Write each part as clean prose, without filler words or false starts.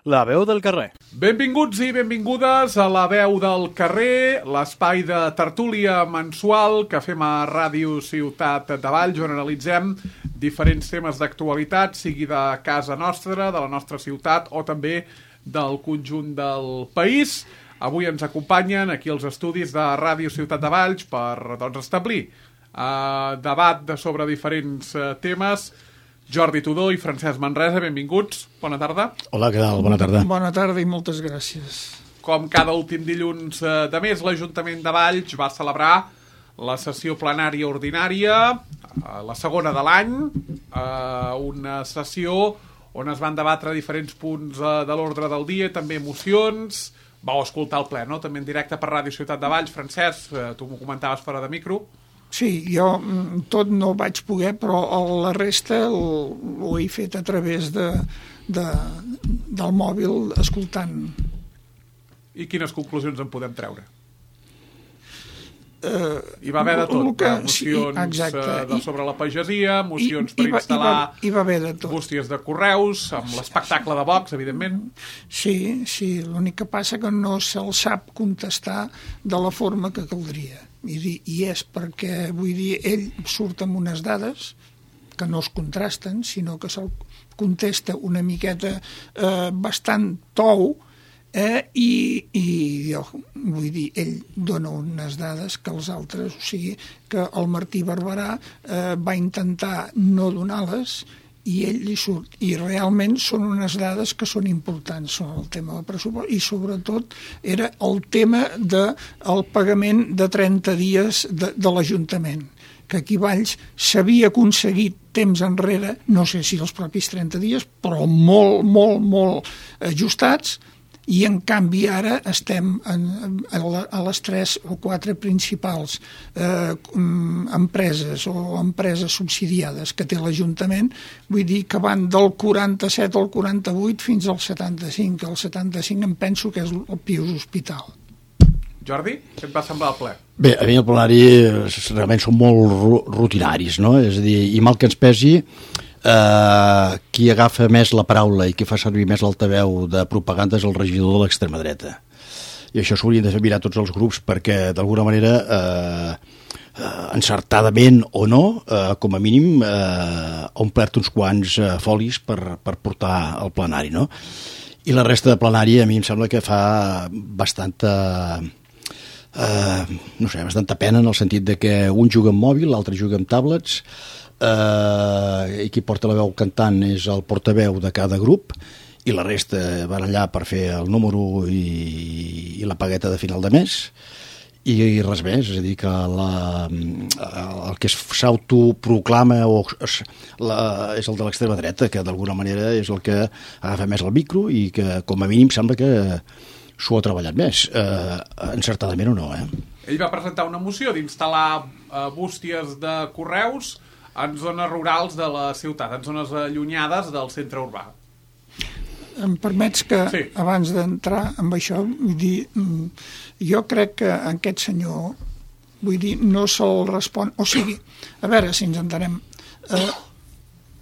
La veu del carrer. Benvinguts i benvingudes a La veu del carrer, l'espai de tertúlia mensual que fem a Ràdio Ciutat de Valls, on analitzem diferents temes d'actualitat, sigui de casa nostra, de la nostra ciutat o també del conjunt del país. Avui ens acompanyen aquí els estudis de Ràdio Ciutat de Valls per establir debat sobre diferents temes. Jordi Tudó i Francesc Manresa, benvinguts. Bona tarda. Hola, què tal? Bona tarda. Bona tarda i moltes gràcies. Com cada últim dilluns de mes, l'Ajuntament de Valls va celebrar la sessió plenària ordinària, la segona de l'any, una sessió on es van debatre diferents punts de l'ordre del dia, també mocions. Vau escoltar el ple, no? També en directe per Ràdio Ciutat de Valls. Francesc, tu m'ho comentaves fora de micro. Sí, jo tot no vaig poder, però la resta ho he fet a través del mòbil escoltant. I quines conclusions en podem treure? Hi va haver de tot, mocions sobre la pagesia, mocions per instal·lar bústies de correus, amb l'espectacle de Vox, evidentment. Sí, l'únic que passa que no se'l sap contestar de la forma que caldria. I és perquè, vull dir, ell surt amb unes dades que no es contrasten, sinó que se'l contesta una miqueta bastant tou, i jo vull dir, ell dona unes dades que els altres, o sigui, que el Martí Barberà va intentar no donar-les i ell li surt, i realment són unes dades que són importants, són el tema del pressupost, i sobretot era el tema del pagament de 30 dies de l'Ajuntament, que aquí a Valls s'havia aconseguit temps enrere, no sé si els propis 30 dies, però molt ajustats, i en canvi ara estem a les 3 o 4 principals empreses o empreses subsidiades que té l'Ajuntament, vull dir que van del 47 al 48 fins al 75. El 75 em penso que és el Pius Hospital. Jordi, què et va semblar el ple? Bé, a mi el plenari realment són molt rutinaris, no? És a dir, i mal que ens pesi, qui agafa més la paraula i qui fa servir més l'altaveu de propaganda és el regidor de l'extrema dreta. I això s'haurien de fer mirar tots els grups perquè, d'alguna manera, encertadament o no, com a mínim, ha omplert uns quants folis per portar al plenari, no? I la resta de plenari a mi em sembla que fa bastanta pena en el sentit de que un juga amb mòbil, l'altre juga amb tablets, i qui porta la veu cantant és el portaveu de cada grup i la resta van allà per fer el número i la pagueta de final de mes i res més, és a dir que el que s'autoproclama és el de l'extrema dreta, que d'alguna manera és el que agafa més el micro i que com a mínim sembla que s'ho ha treballat més, encertadament o no. Ell va presentar una moció d'instal·lar bústies de correus en zones rurals de la ciutat, en zones allunyades del centre urbà. Em permets que, sí, abans d'entrar amb això, vull dir, jo crec que aquest senyor, vull dir, no se'l respon... O sigui, a veure si ens entenem,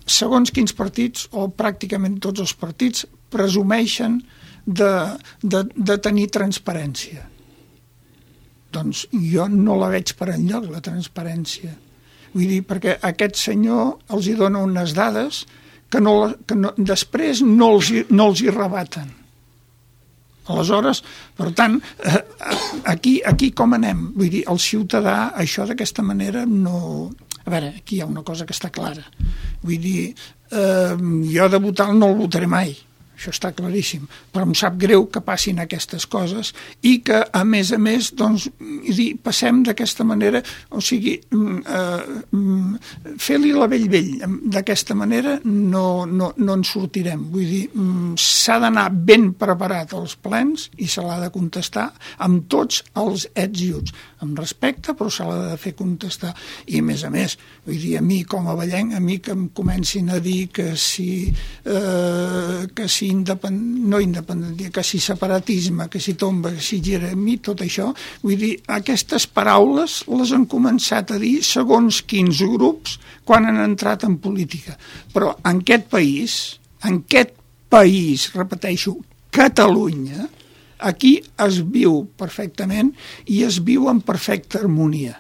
segons quins partits, o pràcticament tots els partits, presumeixen de tenir transparència. Doncs jo no la veig per enlloc, la transparència. Vull dir, perquè aquest senyor els hi dona unes dades que després no els hi rebaten. Aleshores, per tant, aquí com anem? Vull dir, el ciutadà, això d'aquesta manera no... A veure, aquí hi ha una cosa que està clara. Vull dir, jo de votar no el votaré mai. Això està claríssim, però em sap greu que passin aquestes coses i que, a més, doncs, passem d'aquesta manera, o sigui, fer-li la vell, d'aquesta manera no en sortirem. Vull dir, s'ha d'anar ben preparat als plens i se l'ha de contestar amb tots els ets i uts, amb respecte, però se l'ha de fer contestar. I, a més, vull dir, a mi com a vallenc, a mi que em comencin a dir que si separatisme, que si tomba, que si gira, a mi tot això, vull dir, aquestes paraules les han començat a dir segons quins grups quan han entrat en política. Però en aquest país, repeteixo, Catalunya, aquí es viu perfectament i es viu en perfecta harmonia.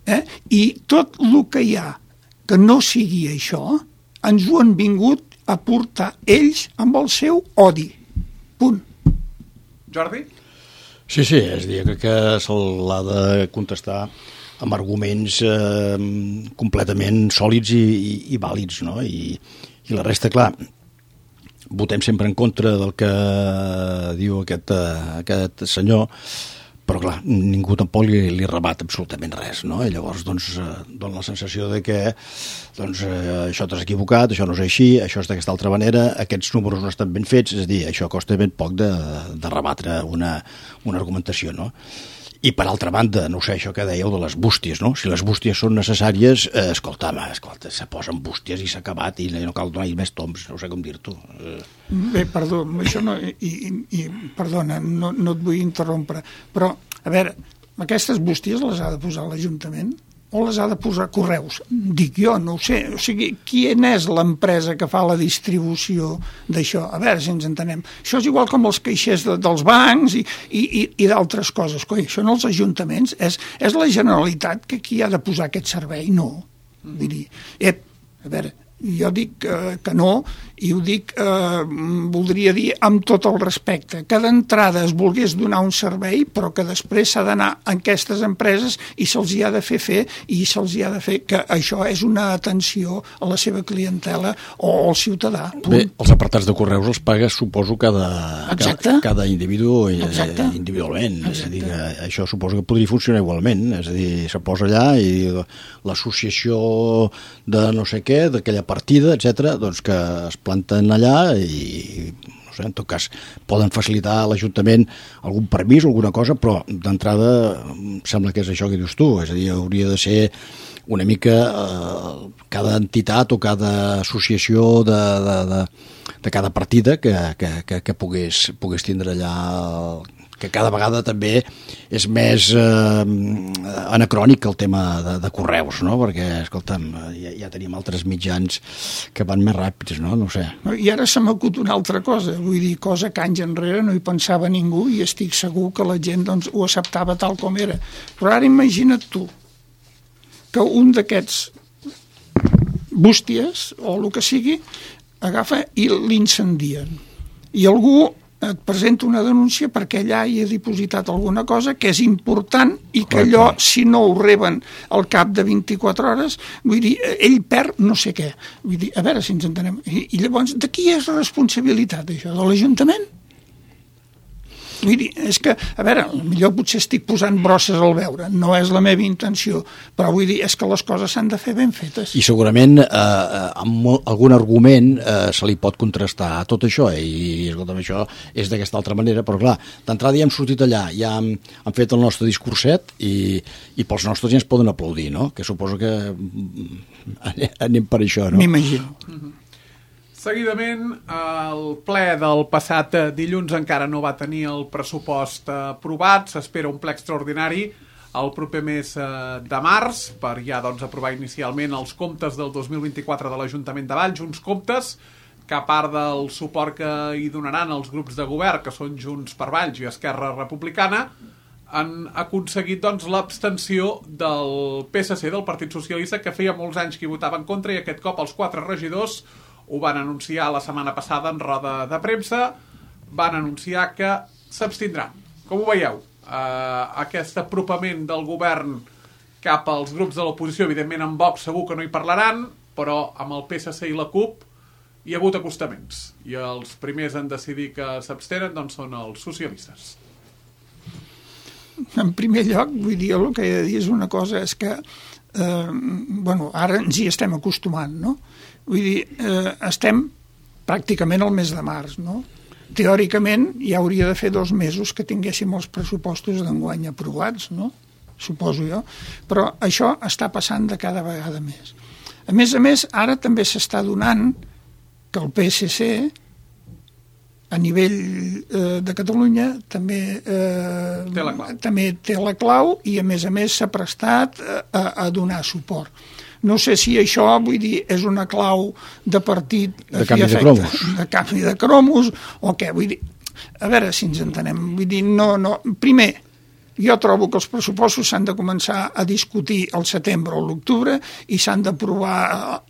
I tot el que hi ha que no sigui això, ens ho han vingut a portar ells amb el seu odi. Punt. Jordi? Sí, és a dir, crec que se l'ha de contestar amb arguments completament sòlids i vàlids, no? I la resta, clar, votem sempre en contra del que diu aquest senyor, però clar, ningú tampoc li rebat absolutament res, no? I llavors doncs dona la sensació de que això t'has equivocat, això no és així, això és d'aquesta altra manera, aquests números no estan ben fets, és a dir, això costa ben poc de rebatre una argumentació, no? I per altra banda, no sé, això que dèieu de les bústies, no? Si les bústies són necessàries, escolta, se posen bústies i s'ha acabat i no cal donar més toms, no sé com dir-t'ho. Bé, perdó, això no... perdona, no et vull interrompre, però, a veure, aquestes bústies les ha de posar l'Ajuntament o les ha de posar Correus? Dic jo, no ho sé. O sigui, quina és l'empresa que fa la distribució d'això? A veure si ens entenem. Això és igual com els caixers dels bancs i d'altres coses. Coi, això en els ajuntaments és la Generalitat que qui ha de posar aquest servei? No. Vull dir, a veure, jo dic que no, i ho dic, voldria dir amb tot el respecte, que d'entrada es volgués donar un servei, però que després s'ha d'anar a aquestes empreses i se'ls hi ha de fer i se'ls hi ha de fer que això és una atenció a la seva clientela o al ciutadà. Bé, els apartats de correus els paga, suposo, cada individu individualment. Exacte. És a dir, que això suposo que podria funcionar igualment, és a dir, se posa allà i l'associació de no sé què, d'aquella partida, etc., doncs que es planten allà i, no sé, en tot cas, poden facilitar a l'Ajuntament algun permís o alguna cosa, però d'entrada sembla que és això que dius tu, és a dir, hauria de ser una mica cada entitat o cada associació de cada partida que pogués tindre allà, que cada vegada també és més anacrònic el tema de correus, no? Perquè, escolta'm, ja tenim altres mitjans que van més ràpids, no? No ho sé. I ara se m'acut una altra cosa, vull dir, cosa que anys enrere no hi pensava ningú i estic segur que la gent doncs, ho acceptava tal com era. Però ara imagina't tu que un d'aquests bústies, o el que sigui, agafa i l'incendien. I algú et presenta una denúncia perquè allà hi ha dipositat alguna cosa que és important i que allò, si no ho reben al cap de 24 hores, vull dir, ell perd no sé què. Vull dir, a veure si ens entenem. I llavors, de qui és la responsabilitat, això? De l'Ajuntament? Vull dir, és que, a veure, millor potser estic posant brosses al veure, no és la meva intenció, però vull dir, és que les coses s'han de fer ben fetes. I segurament amb algun argument se li pot contrastar tot això, i escolta'm, això és d'aquesta altra manera, però clar, d'entrada ja hem sortit allà, ja hem fet el nostre discurset i pels nostres ja ens poden aplaudir, no? Que suposo que anem per això, no? M'imagino. Seguidament, el ple del passat dilluns encara no va tenir el pressupost aprovat. S'espera un ple extraordinari el proper mes de març per ja aprovar inicialment els comptes del 2024 de l'Ajuntament de Valls, uns comptes que a part del suport que hi donaran els grups de govern, que són Junts per Valls i Esquerra Republicana, han aconseguit l'abstenció del PSC, del Partit Socialista, que feia molts anys que hi votava en contra, i aquest cop els 4 regidors ho van anunciar la setmana passada en roda de premsa, van anunciar que s'abstindran. Com ho veieu? Aquest apropament del govern cap als grups de l'oposició, evidentment amb Vox segur que no hi parlaran, però amb el PSC i la CUP hi ha hagut acostaments. I els primers en decidir que s'abstenen són els socialistes. En primer lloc, vull dir, el que he de dir és una cosa, és que ara ens hi estem acostumant, no? Vull dir, estem pràcticament al mes de març, no? Teòricament, ja hauria de fer 2 mesos que tinguéssim els pressupostos d'enguany aprovats, no? Suposo jo. Però això està passant de cada vegada més. A més, ara també s'està donant que el PSC, a nivell de Catalunya, també té la clau i, a més, s'ha prestat a donar suport. No sé si això, vull dir, és una clau de partit... De canvi de cromos. De canvi de cromos, o què, vull dir... a veure si ens entenem. Vull dir, primer, jo trobo que els pressupostos s'han de començar a discutir al setembre o l'octubre i s'han d'aprovar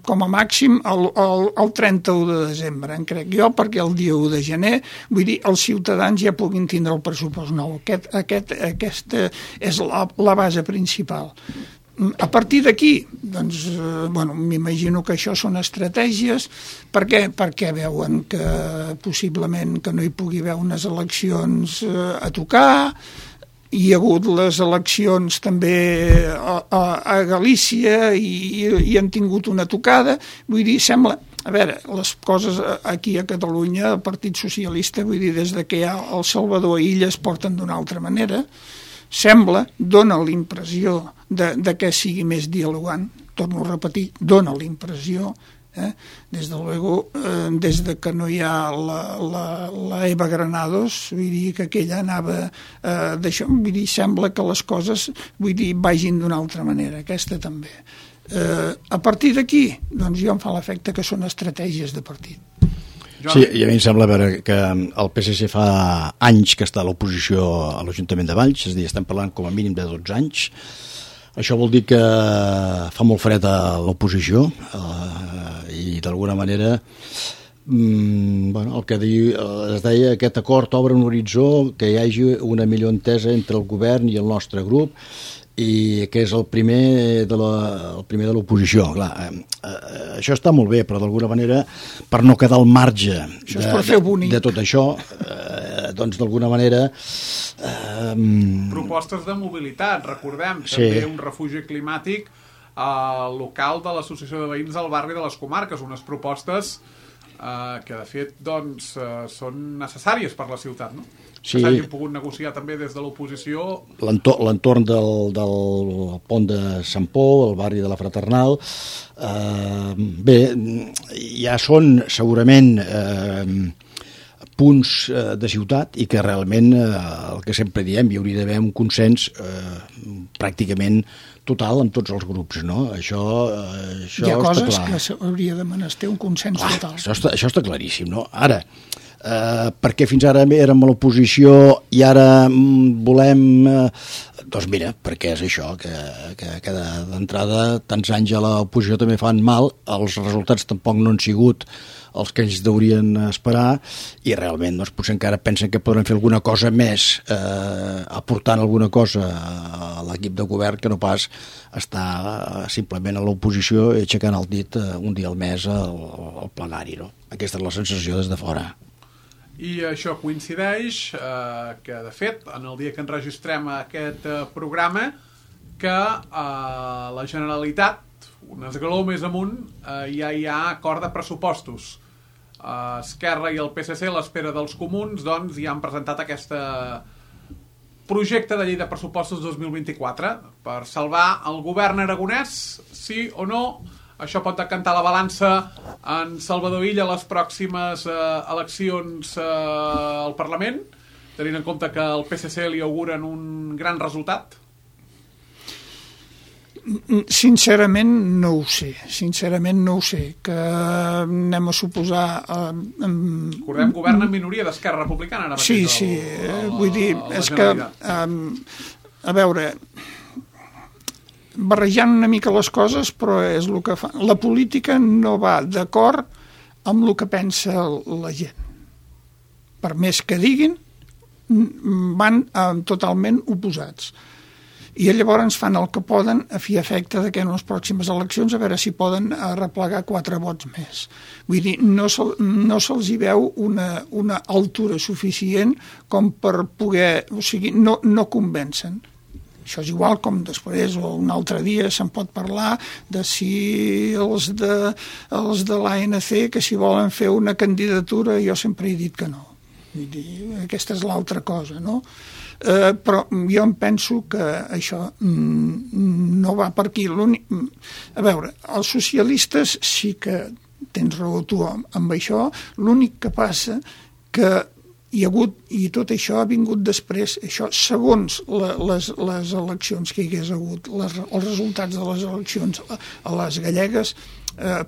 com a màxim el 31 de desembre, crec jo, perquè el dia 1 de gener, vull dir, els ciutadans ja puguin tindre el pressupost nou. Aquesta és la base principal. A partir d'aquí, doncs, m'imagino que això són estratègies, perquè veuen que possiblement que no hi pugui haver unes eleccions a tocar. Hi ha hagut les eleccions també a Galícia i han tingut una tocada. Vull dir, sembla... A veure, les coses aquí a Catalunya, el Partit Socialista, vull dir, des que hi ha el Salvador i Illa es porten d'una altra manera. Dona l'impressió de que sigui més dialogant. Torno a repetir, dona l'impressió. Des de que no hi ha la Eva Granados, vull dir que aquella anava d'això, vull dir, sembla que les coses, vagin d'una altra manera, aquesta també. A partir d'aquí, doncs jo em fa l'efecte que són estratègies de partit. Sí, i a mi em sembla que el PSC fa anys que està a l'oposició a l'Ajuntament de Valls, és a dir, estem parlant com a mínim de 12 anys. Això vol dir que fa molt fred a l'oposició i d'alguna manera el que es deia, aquest acord obre un horitzó, que hi hagi una millor entesa entre el govern i el nostre grup, i que és el primer de l'oposició. Això està molt bé, però d'alguna manera, per no quedar al marge de tot això, doncs d'alguna manera... Propostes de mobilitat, recordem, també un refugi climàtic local de l'Associació de Veïns del Barri de les Comarques, unes propostes que de fet doncs, són necessàries per la ciutat, no? Que s'hagin pogut negociar també des de l'oposició. L'entorn del pont de Sant Pol, el barri de la Fraternal, bé, ja són segurament punts de ciutat i que realment el que sempre diem, hi hauria d'haver un consens pràcticament total amb tots els grups, no? Això hi ha coses que s'hauria de menester un consens total. Això està claríssim, no? Ara, perquè fins ara érem a l'oposició i ara volem... Doncs mira, perquè és això, que d'entrada tants anys a l'oposició també fan mal, els resultats tampoc no han sigut els que ells deurien esperar i realment doncs, potser encara pensen que podran fer alguna cosa més aportant alguna cosa a l'equip de govern que no pas estar simplement a l'oposició i aixecant el dit un dia al mes al plenari, no? Aquesta és la sensació des de fora. I això coincideix que, de fet, en el dia que enregistrem aquest programa, que la Generalitat, un esglaó més amunt, ja hi ha acord de pressupostos. Esquerra i el PSC, a l'espera dels comuns, doncs ja han presentat aquest projecte de llei de pressupostos 2024 per salvar el govern aragonès, sí o no. Això pot decantar la balança en Salvador Illa a les pròximes eleccions al Parlament, tenint en compte que el PSC li auguren un gran resultat? Sincerament no ho sé, que anem a suposar... Recordem, govern en minoria d'Esquerra Republicana ara mateix. Sí, vull dir, és que a veure, barrejant una mica les coses, però és el que fa. La política no va d'acord amb el que pensa la gent. Per més que diguin, van totalment oposats. I llavors fan el que poden a fi efecte de que en les pròximes eleccions a veure si poden arreplegar 4 vots més. Vull dir, no se'ls hi veu una altura suficient com per poder... O sigui, no convencen. Això és igual com després o un altre dia se'n pot parlar de si els de l'ANC que si volen fer una candidatura, jo sempre he dit que no. Vull dir, aquesta és l'altra cosa, no? Però jo em penso que això no va per aquí. A veure, els socialistes sí que tens raó tu amb això, l'únic que passa que i tot això ha vingut després, això segons les eleccions que hi hagués hagut, els resultats de les eleccions a les gallegues,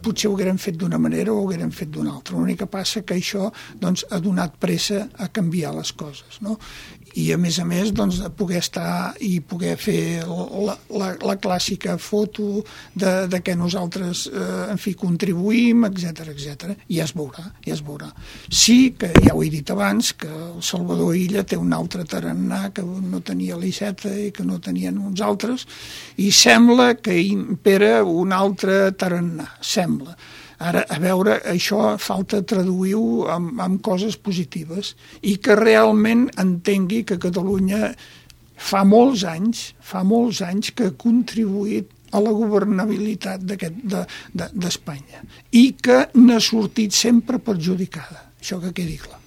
potser ho hagueren fet d'una manera o ho hagueren fet d'una altra. L'únic que passa que això doncs, ha donat pressa a canviar les coses, no? I a més, doncs, poder estar i poder fer la clàssica foto de què nosaltres en fi, contribuïm, etc. I ja es veurà. Sí que, ja ho he dit abans, que el Salvador Illa té un altre tarannà que no tenia l'Iceta i que no tenien uns altres, i sembla que impera un altre tarannà, sembla. Ara, a veure, això falta traduir-ho amb coses positives i que realment entengui que Catalunya fa molts anys que ha contribuït a la governabilitat d'Espanya i que n'ha sortit sempre perjudicada. Això que quedi clar.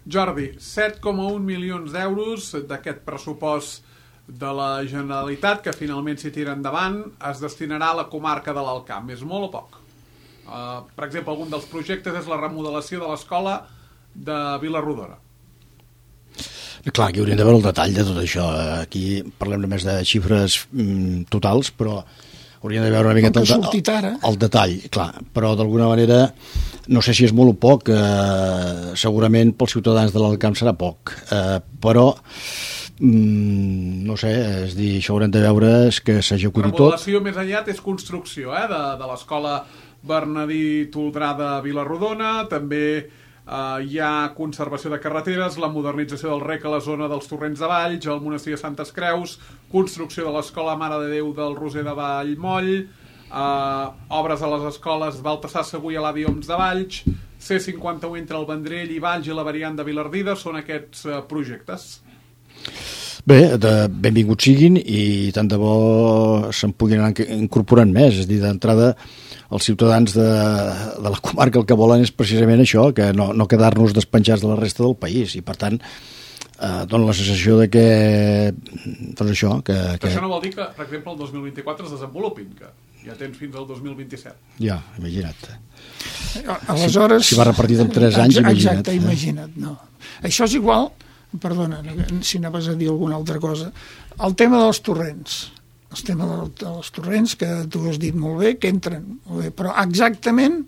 Jordi, 7,1 milions d'euros d'aquest pressupost de la Generalitat que finalment s'hi tira endavant es destinarà a la comarca de l'Alt Camp. És molt o poc? Per exemple, algun dels projectes és la remodelació de l'escola de Vila-rodona. Clar, aquí hauríem de veure el detall de tot això. Aquí parlem només de xifres totals, però hauríem de veure una miqueta el detall, clar. Però d'alguna manera, no sé si és molt o poc, segurament pels ciutadans de l'Alt Camp serà poc, però no sé, és dir, això haurem de veure que s'executi tot. Remodelació més enllà és construcció de l'escola Bernadí Toldrà de Vila-rodona, també hi ha conservació de carreteres, la modernització del rec a la zona dels Torrents de Valls, el monestir de Santes Creus, construcció de l'escola Mare de Déu del Roser de Vallmoll, obres a les escoles Baltasar Segur i Eladi Oms de Valls, C51 entre el Vendrell i Valls i la variant de Vilardida, són aquests projectes. Bé, benvinguts siguin i tant de bo se'n puguin anar incorporant més, és a dir, d'entrada els ciutadans de la comarca el que volen és precisament això, que no quedar-nos despenjats de la resta del país, i per tant dona la sensació de que doncs això, que això no vol dir que, per exemple, el 2024 es desenvolupin, que ja tens fins al 2027. Ja, imagina't. Aleshores, si va repartit en 3 anys, imagina't. Exacte, imagina't, no. Això és igual, perdona, si anaves a dir alguna altra cosa, el tema dels torrents. El tema dels torrents, que tu has dit molt bé, que entren molt bé, però exactament,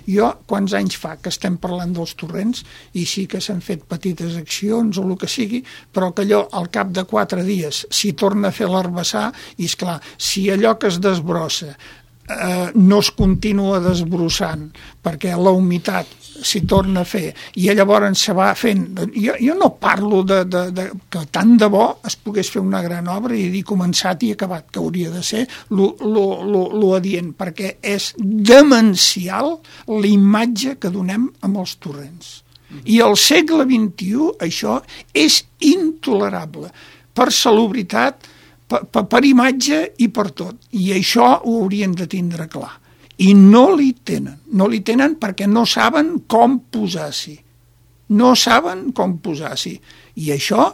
jo quants anys fa que estem parlant dels torrents i sí que s'han fet petites accions o el que sigui, però que allò al cap de 4 dies s'hi torna a fer l'herbassar i, esclar, si allò que es desbrossa no es continua desbrossant perquè la humitat s'hi torna a fer i llavors se va fent... Jo no parlo de que tant de bo es pogués fer una gran obra i dir començat i acabat, que hauria de ser lo adient, perquè és demencial la imatge que donem amb els torrents. I al segle XXI això és intolerable per salubritat, per imatge i per tot. I això ho haurien de tindre clar. I no li tenen perquè no saben com posar-s'hi. I això,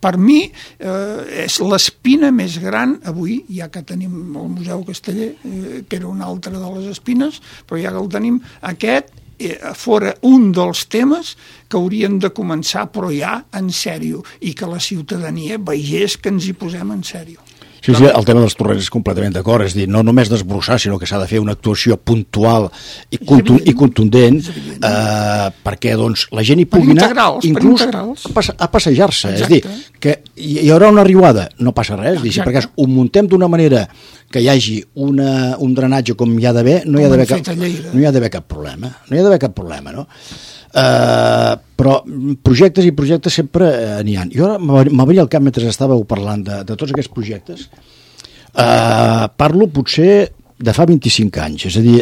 per mi, és l'espina més gran avui, ja que tenim el Museu Casteller, que era una altra de les espines, però ja que el tenim, aquest fora un dels temes que haurien de començar, però ja en sèrio, i que la ciutadania veiés que ens hi posem en sèrio. Sí, el tema dels torrents és completament d'acord, és dir, no només desbrossar, sinó que s'ha de fer una actuació puntual i contundent perquè doncs, la gent hi pugui anar inclús a passejar-se, és dir, que hi haurà una riuada, no passa res, perquè ho muntem d'una manera que hi hagi un drenatge com hi ha d'haver, no hi ha d'haver cap problema, no? Però projectes i projectes sempre n'hi ha. Jo m'obria al cap mentre estàveu parlant de tots aquests projectes. Parlo potser de fa 25 anys, és a dir,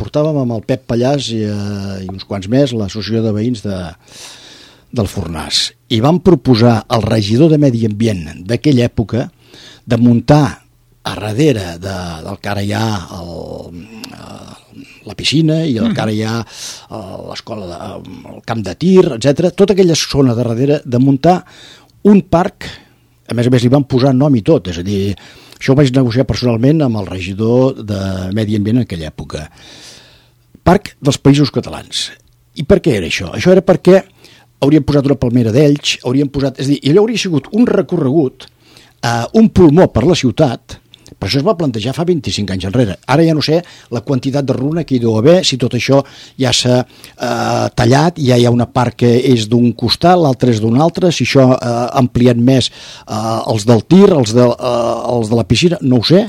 portàvem amb el Pep Pallàs i uns quants més l'associació de veïns del Fornàs i vam proposar al regidor de Medi Ambient d'aquella època de muntar a darrere del que ara hi ha la piscina i el que ara hi ha l'escola, el camp de tir, etc. Tota aquella zona de darrere de muntar un parc, a més li van posar nom i tot, és a dir, això ho vaig negociar personalment amb el regidor de Medi Ambient en aquella època. Parc dels Països Catalans. I per què era això? Això era perquè haurien posat una palmera d'Elx, és a dir, allò hauria sigut un recorregut, un pulmó per la ciutat. Per això es va plantejar fa 25 anys enrere. Ara ja no sé la quantitat de runa que hi deu haver, si tot això ja s'ha tallat, ja hi ha una part que és d'un costat, l'altra és d'un altre, si això ha ampliat més els del tir, els de la piscina, no ho sé,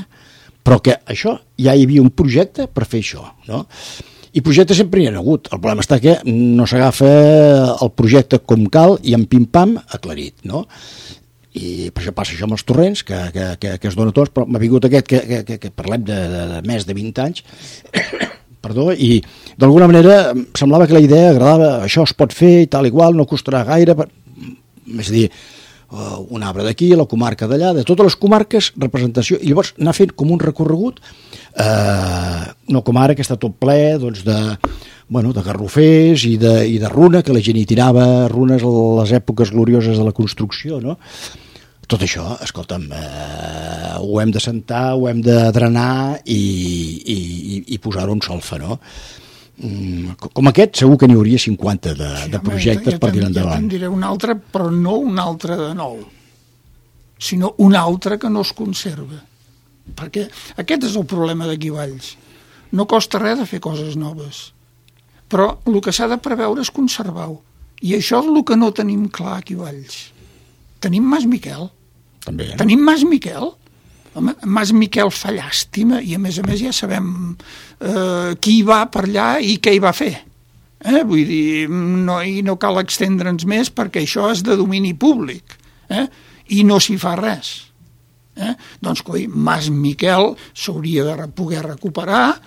però que això ja hi havia un projecte per fer això, no? I projectes sempre n'hi ha hagut. El problema està que no s'agafa el projecte com cal i en pim-pam aclarit, no? I per això passa això amb els torrents, que es dona tots, però m'ha vingut aquest que parlem de més de 20 anys, perdó, i d'alguna manera semblava que la idea agradava, això es pot fer i tal igual, no costarà gaire, és a dir, un arbre d'aquí, la comarca d'allà, de totes les comarques, representació, i llavors anar fent com un recorregut, no com ara que està tot ple doncs, de garrofers i de runa, que la gent hi tirava runes a les èpoques glorioses de la construcció, no? Tot això, escolta'm, ho hem de sentar, ho hem de drenar i posar-ho en solfa, no? Com aquest segur que n'hi hauria 50 de projectes per tirar endavant. Ja te'n diré un altre, però no un altre de nou, sinó un altre que no es conserva. Perquè aquest és el problema d'aquí Valls. No costa res de fer coses noves, però el que s'ha de preveure és conservar-ho. I això és el que no tenim clar aquí Valls. Tenim Mas Miquel. També. Tenim Mas Miquel. Home, Mas Miquel fa llàstima i a més ja sabem qui hi va per allà i què hi va fer. Vull dir, no cal extendre'ns més perquè això és de domini públic i no s'hi fa res. Doncs, coi, Mas Miquel s'hauria de poder recuperar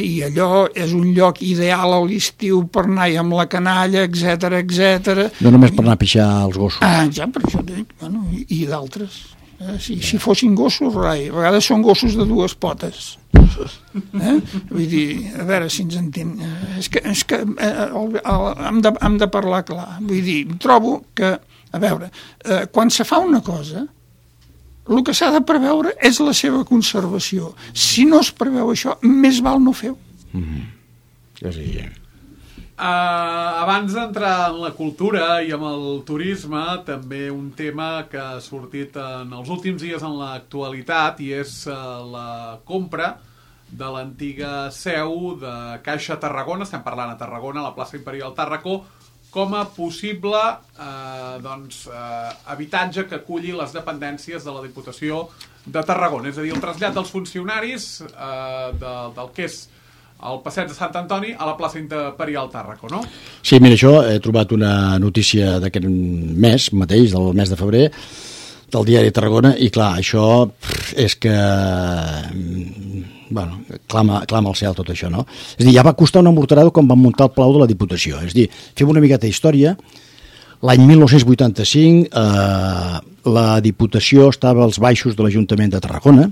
i allò és un lloc ideal a l'estiu per anar amb la canalla, etc. No només per anar a pixar els gossos. Ja, per això dic, bueno, i d'altres. Si fossin gossos, rai, a vegades són gossos de dues potes. Vull dir, a veure si ens entenc. És que hem de parlar clar. Vull dir, trobo que, a veure, quan se fa una cosa, el que s'ha de preveure és la seva conservació. Si no es preveu això, més val no fer-ho. Ja sí. Abans d'entrar en la cultura i en el turisme, també un tema que ha sortit en els últims dies en l'actualitat i és la compra de l'antiga seu de Caixa Tarragona, estem parlant a Tarragona, a la plaça Imperial Tàrraco, com a possible habitatge que aculli les dependències de la Diputació de Tarragona. És a dir, el trasllat dels funcionaris del que és el passeig de Sant Antoni a la plaça Imperial Tàrraco, no? Sí, mira, això he trobat una notícia d'aquest mes mateix, del mes de febrer, del diari Tarragona, i clar, això és que clama al cel tot això, no? És a dir, ja va costar una morterada quan van muntar el Palau de la Diputació. És a dir, fem una miqueta d'història. L'any 1985 la Diputació estava als baixos de l'Ajuntament de Tarragona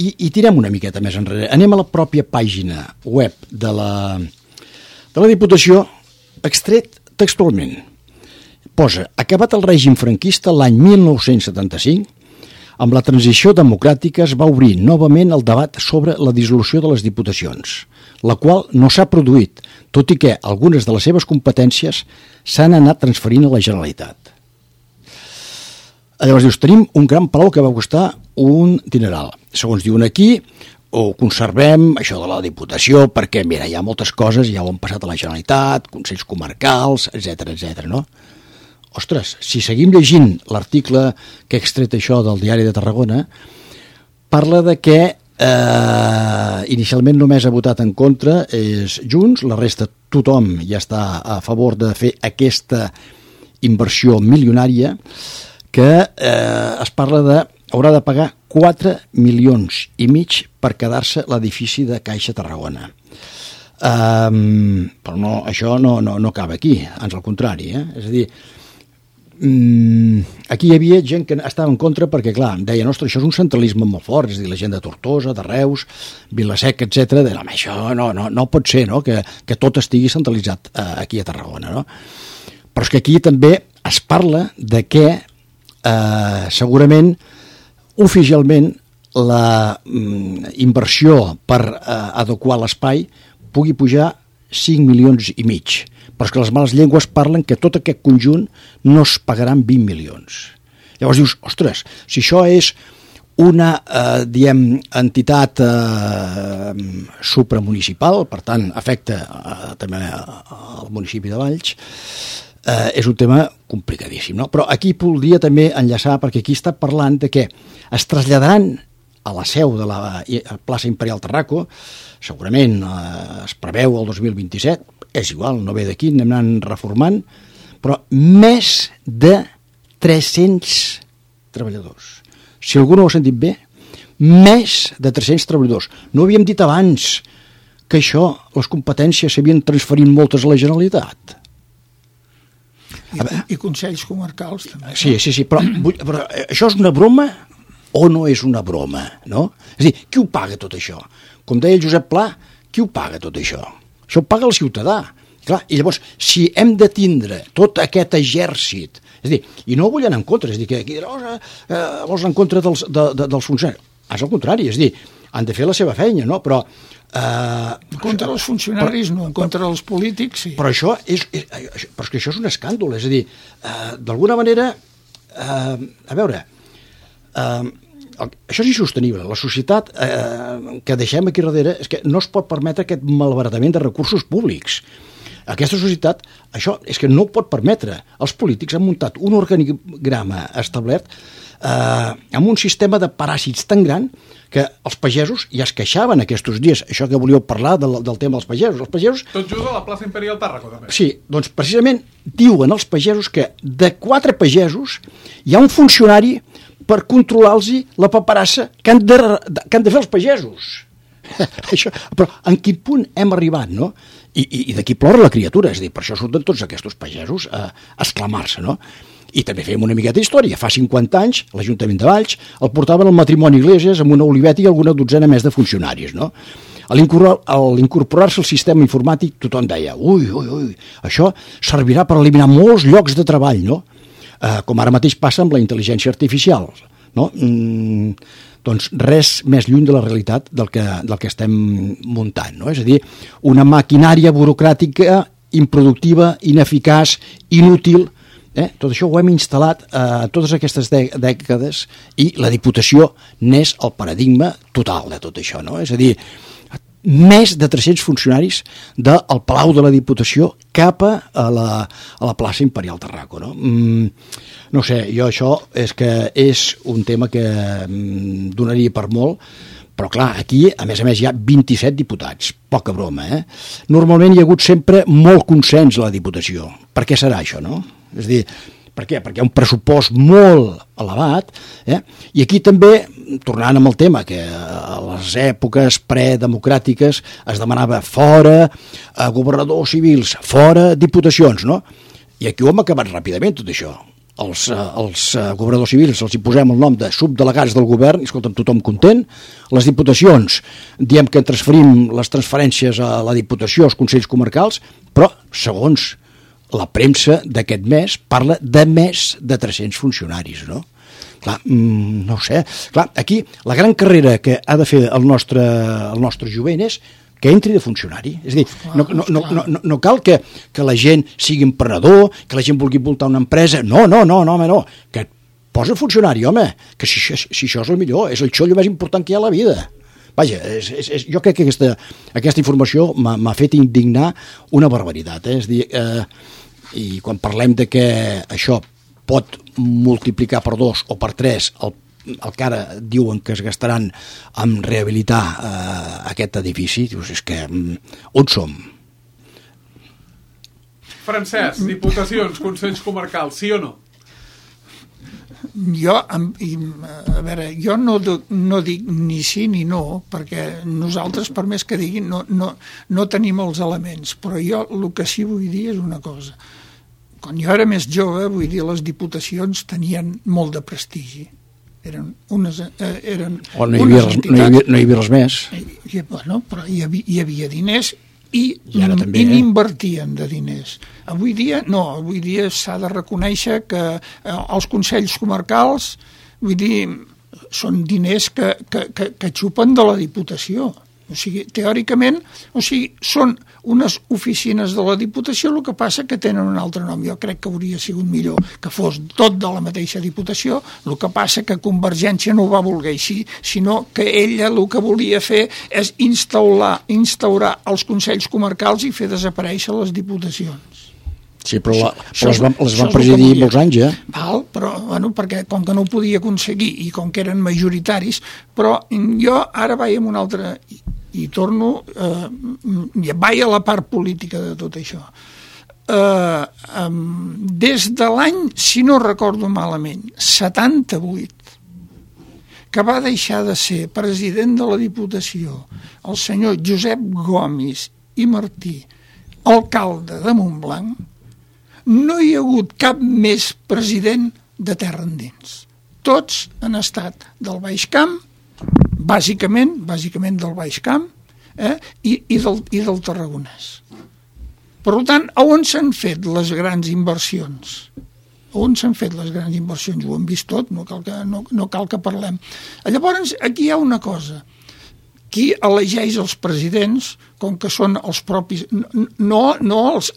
i tirem una miqueta més enrere. Anem a la pròpia pàgina web de la Diputació, extret textualment. Posa, acabat el règim franquista l'any 1975, amb la transició democràtica es va obrir novament el debat sobre la dissolució de les diputacions, la qual no s'ha produït, tot i que algunes de les seves competències s'han anat transferint a la Generalitat. Llavors dius, tenim un gran palau que va costar un dineral. Segons diuen aquí, ho conservem, això de la Diputació, perquè, mira, hi ha moltes coses, ja ho han passat a la Generalitat, consells comarcals, etc., no? Ostres, si seguim llegint l'article que ha extret això del diari de Tarragona, parla de que inicialment només ha votat en contra és Junts, la resta tothom ja està a favor de fer aquesta inversió milionària que es parla de haurà de pagar 4,5 milions per quedar-se l'edifici de Caixa Tarragona. Però no, això no acaba aquí, ans al contrari, És a dir, aquí hi havia gent que estava en contra perquè, clar, deien, ostres, això és un centralisme molt fort, és a dir, la gent de Tortosa, de Reus, Vilaseca, etc. Deien, home, això no pot ser, no?, que tot estigui centralitzat aquí a Tarragona, no? Però és que aquí també es parla de que segurament oficialment la inversió per adequar l'espai pugui pujar 5,5 milions. Però és que les males llengües parlen que tot aquest conjunt no es pagaran 20 milions. Llavors dius, ostres, si això és una entitat supramunicipal, per tant afecta també al municipi de Valls, és un tema complicadíssim, no? Però aquí voldria també enllaçar, perquè aquí està parlant de que es traslladaran a la seu de la plaça Imperial Tarraco, segurament es preveu el 2027, és igual, no ve d'aquí, anem anant reformant, però més de 300 treballadors. Si algú no ho ha sentit bé, més de 300 treballadors. No havíem dit abans que això, les competències s'havien transferit moltes a la Generalitat. I consells comarcals també. Sí, però això és una broma o no és una broma, no? És a dir, qui ho paga tot això? Com deia el Josep Pla, qui ho paga tot això? Això ho paga el ciutadà. Clar, i llavors, si hem de tindre tot aquest exèrcit, és a dir, i no ho vull anar en contra, és a dir, que aquí vols en contra dels funcionaris. És el contrari, és a dir, han de fer la seva feina, no? Però contra els funcionaris no, contra els polítics sí. Però això és que això és un escàndol, és a dir, d'alguna manera, a veure, això és insostenible. La societat que deixem aquí darrere és que no es pot permetre aquest malbaratament de recursos públics. Aquesta societat, això és que no ho pot permetre. Els polítics han muntat un organigrama establert amb un sistema de paràsits tan gran que els pagesos ja es queixaven aquests dies, això que volíeu parlar del tema dels pagesos. Els pagesos... Tot just a la plaça Imperial Tàrraco, també. Sí, doncs precisament diuen els pagesos que de 4 pagesos hi ha un funcionari per controlar-los la paperassa que han de fer els pagesos. Això, però en quin punt hem arribat, no? I d'aquí plora la criatura, és a dir, per això surten tots aquests pagesos a exclamar-se, no? I també fèiem una miqueta d'història. Fa 50 anys, l'Ajuntament de Valls el portaven al matrimoni Iglesias amb una oliveta i alguna dotzena més de funcionaris, no? A l'incorporar-se al sistema informàtic, tothom deia, ui, això servirà per eliminar molts llocs de treball, no? Com ara mateix passa amb la intel·ligència artificial, no? Doncs res més lluny de la realitat del que estem muntant, no? És a dir, una maquinària burocràtica improductiva, ineficaç, inútil. Tot això ho hem instal·lat totes aquestes dècades i la Diputació n'és el paradigma total de tot això, no? És a dir, més de 300 funcionaris del Palau de la Diputació cap a la plaça Imperial Tarraco, no? No sé, jo això és un tema que donaria per molt, però clar, aquí a més hi ha 27 diputats, poca broma, Normalment hi ha hagut sempre molt consens a la Diputació. Per què serà això, no? És a dir, per què? Perquè hi ha un pressupost molt elevat, i aquí també, tornant amb el tema, que a les èpoques predemocràtiques es demanava fora governadors civils, fora diputacions, no? I aquí ho hem acabat ràpidament, tot això. Els governadors civils els hi posem el nom de subdelegats del govern i escolta'm, tothom content. Les diputacions diem que transferim les transferències a la Diputació, als consells comarcals, però segons la premsa d'aquest mes parla de més de 300 funcionaris, no? Clar, no ho sé. Clar, aquí la gran carrera que ha de fer el nostre jovent és que entri de funcionari. És a dir, no cal que la gent sigui emprenedor, que la gent vulgui voltar una empresa. No, home, no. Que posa funcionari, home, que si això és el millor, és el xollo més important que hi ha a la vida. Vaja, jo crec que aquesta informació m'ha fet indignar una barbaritat. És a dir, i quan parlem de que això pot multiplicar per 2 o per 3 el que ara diuen que es gastaran en rehabilitar aquest edifici, dius, és que on som? Francesc, diputacions, consells comarcals, sí o no? Jo no dic ni sí ni no, perquè nosaltres, per més que diguin, no tenim els elements, però jo el que sí vull dir és una cosa. Quan jo era més jove, vull dir, les diputacions tenien molt de prestigi. Eren unes entitats. No hi havia res més. Bueno, però hi havia diners i n'invertien de diners. Avui dia s'ha de reconèixer que els consells comarcals, vull dir, són diners que xupen de la Diputació. O sigui, teòricament, són unes oficines de la Diputació, el que passa que tenen un altre nom. Jo crec que hauria sigut millor que fos tot de la mateixa Diputació, el que passa que Convergència no ho va voler així, sinó que ella el que volia fer és instaurar els consells comarcals i fer desaparèixer les diputacions. Sí, però les van presidir molts anys, Val, però, perquè com que no ho podia aconseguir i com que eren majoritaris, però jo ara vaig amb un altre, i torno, vaig a la part política de tot això. Des de l'any, si no recordo malament, 78, que va deixar de ser president de la Diputació el senyor Josep Gomis i Martí, alcalde de Montblanc, no hi ha hagut cap més president de terra endins. Tots han estat del Baix Camp, bàsicament del Baix Camp, i del Tarragonès. Per tant, on s'han fet les grans inversions? On s'han fet les grans inversions? Ho hem vist tot, no cal que parlem. Llavors, aquí hi ha una cosa. Qui elegeix els presidents, com que són els propis, no els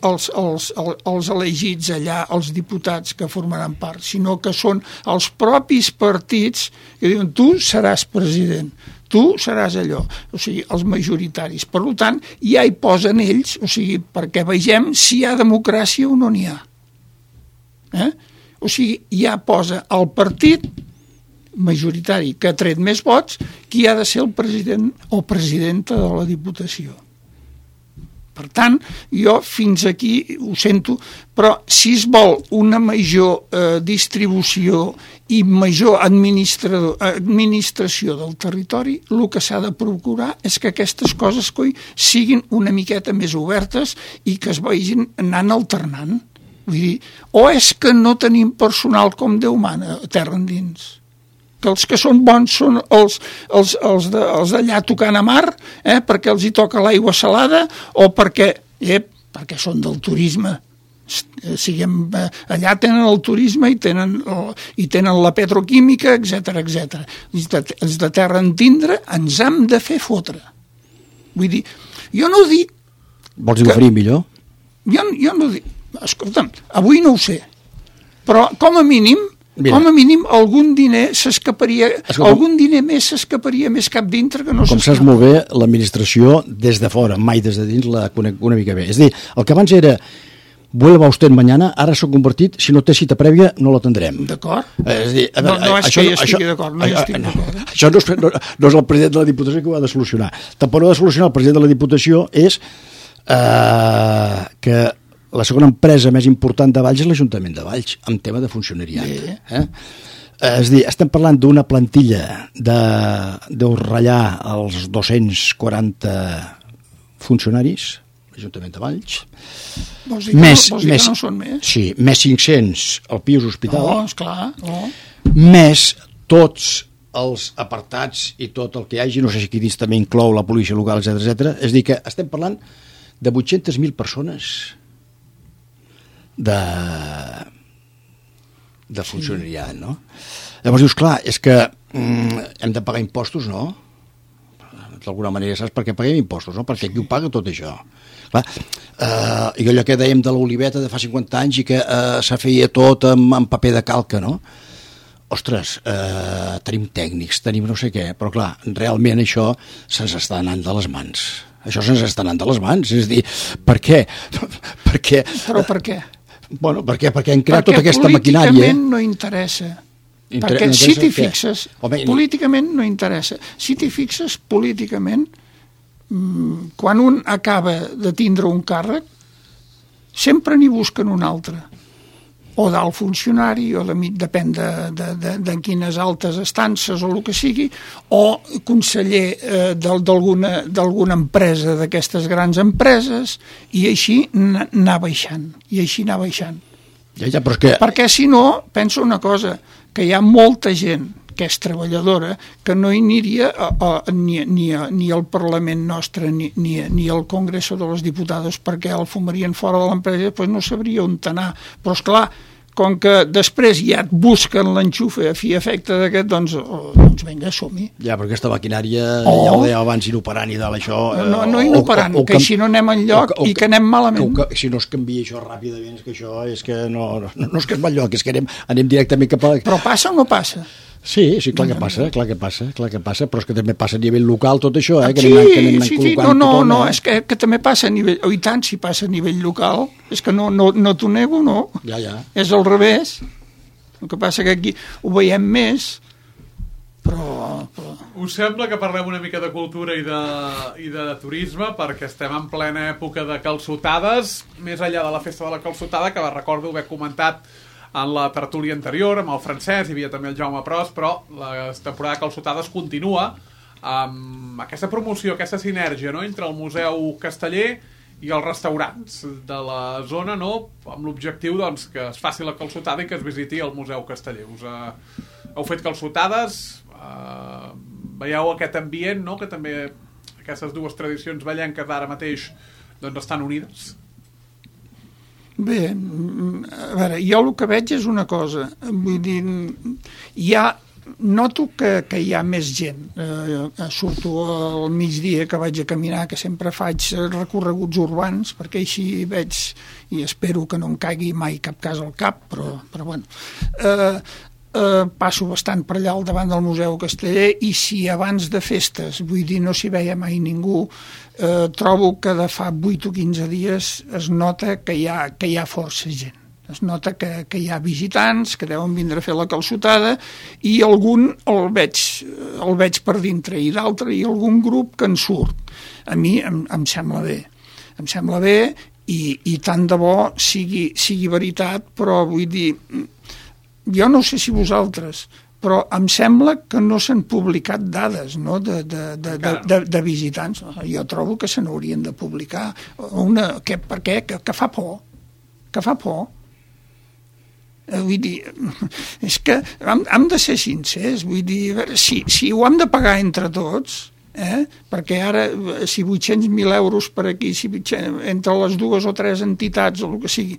elegits allà, els diputats que formaran part, sinó que són els propis partits que diuen tu seràs president, tu seràs allò, o sigui, els majoritaris. Per tant, ja hi posen ells, o sigui, perquè vegem si hi ha democràcia o no n'hi ha. O sigui, ja posa el partit majoritari que ha tret més vots, qui ha de ser el president o presidenta de la Diputació. Per tant, jo fins aquí ho sento, però si es vol una major distribució i major administració del territori, el que s'ha de procurar és que aquestes coses siguin una miqueta més obertes i que es vagin anant alternant. Vull dir, o és que no tenim personal com Déu mana a terra endins, que els que són bons són els d'allà tocant a mar, perquè els hi toca l'aigua salada, o perquè són del turisme. Allà tenen el turisme i tenen la petroquímica, etc. Els de terra entendre ens hem de fer fotre. Vull dir, jo no dic... Vols dir oferir millor? Jo no dic... Escolta'm, avui no ho sé, però com a mínim algun diner s'escaparia, algun diner més s'escaparia més cap dintre que no s'escapa. Com saps molt bé, l'administració des de fora, mai des de dins, la conec una mica bé. És a dir, el que abans era vuelva usted mañana, ara s'ha convertit, si no té cita prèvia, no l'atendrem. D'acord. És a dir, no és que hi estigui d'acord, no hi estic d'acord. Això no és el president de la Diputació que ho ha de solucionar. Tampoc no ha de solucionar el president de la Diputació és que la segona empresa més important de Valls és l'Ajuntament de Valls, en tema de funcionariat. És a dir, estem parlant d'una plantilla de ratllar els 240 funcionaris, l'Ajuntament de Valls. Vols dir que no són més? Sí, més 500 al Pius Hospital. Esclar. Més tots els apartats i tot el que hi hagi, no sé si aquí dins també inclou la policia local, etc. És a dir, que estem parlant de 800.000 persones de funcionariat, no? Llavors dius, clar, és que hem de pagar impostos, no? D'alguna manera saps per què paguem impostos, no? Perquè qui ho paga tot això? Clar, i allò que dèiem de l'oliveta de fa 50 anys i que se feia tot amb paper de calca, no? Ostres, tenim tècnics, tenim no sé què, però clar, realment això se'ns està anant de les mans. Això se'ns està anant de les mans, és a dir, per què? Però per què? Bueno, perquè hem creat tota aquesta maquinària. Perquè políticament no interessa. Perquè si t'hi fixes, políticament no interessa. Si t'hi fixes, políticament, quan un acaba de tindre un càrrec, sempre n'hi busquen un altre. O d'alt funcionari, o depèn de quines altes estances o el que sigui, o conseller d'alguna empresa, d'aquestes grans empreses, i així anar baixant. Ja, però és que... Perquè si no, penso una cosa, que hi ha molta gent que és treballadora, que no hi aniria ni al Parlament nostre ni al Congreso de los Diputados, perquè el fumarien fora de l'empresa i després no sabria on anar. Però esclar, com que després ja et busquen l'enxufe a fi efecte d'aquest, doncs vinga, som-hi. Ja, però aquesta maquinària, ja ho deia abans, inoperant i tal, això... No inoperant, que si no anem enlloc i que anem malament. Si no es canvia això ràpidament, és que això és que no és que es va enlloc, és que anem directament cap a... Però passa o no passa? Sí, clar que passa, però és que també passa a nivell local tot això, que sí, anem col·locant tothom. No, és que també passa a nivell, i tant, si passa a nivell local, és que no t'ho nego, no. Ja. És al revés. El que passa que aquí ho veiem més, però... Us sembla que parlem una mica de cultura i de turisme, perquè estem en plena època de calçotades, més enllà de la festa de la calçotada, que recordo haver comentat en la tertúlia anterior, amb el Francesc, hi havia també el Jaume Pros, però la temporada de calçotades continua amb aquesta promoció, aquesta sinergia, no?, entre el Museu Casteller i els restaurants de la zona, no?, amb l'objectiu, doncs, que es faci la calçotada i que es visiti el Museu Casteller. Heu fet calçotades, veieu aquest ambient, no?, que també aquestes dues tradicions ballenques d'ara mateix doncs estan unides. Bé, a veure, jo el que veig és una cosa, vull dir, noto que hi ha més gent. Surto al migdia que vaig a caminar, que sempre faig recorreguts urbans, perquè així veig, i espero que no em caigui mai cap cas al cap, però bueno, passo bastant per allà al davant del Museu Casteller, i si abans de festes, vull dir, no s'hi veia mai ningú, trobo que de fa 8 o 15 dies es nota que hi ha força gent. Es nota que hi ha visitants que deuen vindre a fer la calçotada, i algun el veig per dintre, i d'altre, i algun grup que en surt. A mi em sembla bé. Em sembla bé, i tant de bo sigui veritat, però vull dir, jo no sé si vosaltres, però em sembla que no s'han publicat dades, no?, de visitants. Jo trobo que se n'haurien de publicar. Per què? Que fa por. Que fa por. Vull dir, és que hem de ser sincers. Vull dir, si ho hem de pagar entre tots, perquè ara, si 800.000 euros per aquí, si entre les 2 o 3 entitats o el que sigui,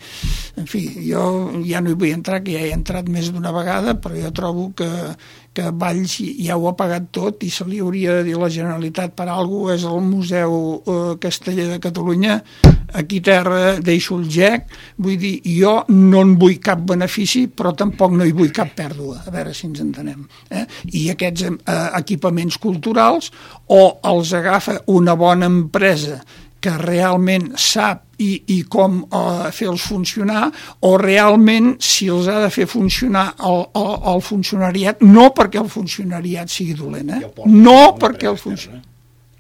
en fi, jo ja no hi vull entrar, que ja he entrat més d'una vegada, però jo trobo que Valls ja ho ha pagat tot, i se li hauria de dir a la Generalitat per alguna cosa. És el Museu Casteller de Catalunya, aquí terra deixo el gec. Vull dir, jo no en vull cap benefici, però tampoc no hi vull cap pèrdua, a veure si ens entenem. I aquests equipaments culturals o els agafa una bona empresa que realment sap i com fer-los funcionar, o realment si els ha de fer funcionar el funcionariat, no perquè el funcionariat sigui dolent, no perquè el funcionariat...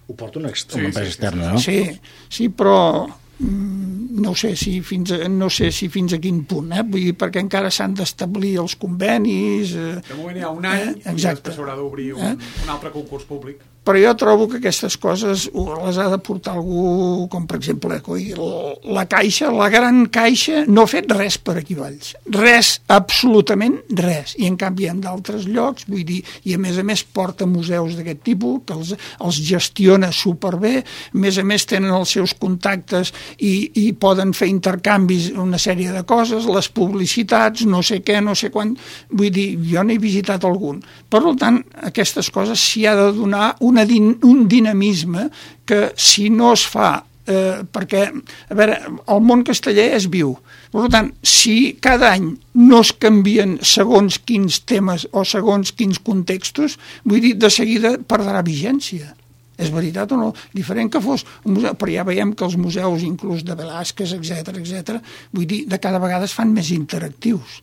Ho porta una empresa externa, no? Sí, però no sé si fins a quin punt, vull dir, perquè encara s'han d'establir els convenis. De moment hi ha un any, i després s'haurà d'obrir un altre concurs públic. Però jo trobo que aquestes coses les ha de portar algú, com per exemple la Caixa, la gran Caixa, no ha fet res per aquí Valls. Res, absolutament res. I en canvi en d'altres llocs, vull dir, i a més porta museus d'aquest tipus, que els gestiona superbé, a més tenen els seus contactes i poden fer intercanvis, una sèrie de coses, les publicitats, no sé què, no sé quan. Vull dir, jo n'he visitat algun. Per tant, aquestes coses s'hi ha de donar un dinamisme que si no es fa, perquè, a veure, el món casteller és viu. Per tant, si cada any no es canvien segons quins temes o segons quins contextos, vull dir, de seguida perdrà vigència. És veritat o no? Diferent que fos un museu, però ja veiem que els museus, inclús de Velázquez, etc., vull dir, de cada vegada es fan més interactius.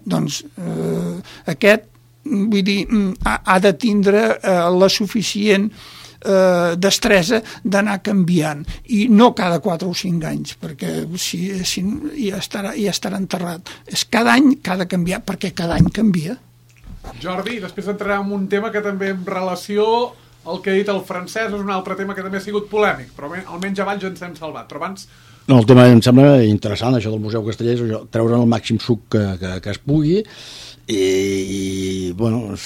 Doncs aquest, vull dir, ha de tindre la suficient destresa d'anar canviant, i no cada 4 o 5 anys, perquè si ja estarà enterrat. És cada any que ha de canviar, perquè cada any canvia. Jordi, després entrarem en un tema que també en relació al que ha dit el Francesc és un altre tema que també ha sigut polèmic, però almenys a Valls ens hem salvat. Però abans... No, el tema em sembla interessant, això del Museu Casteller, treure'n el màxim suc que es pugui, i bueno,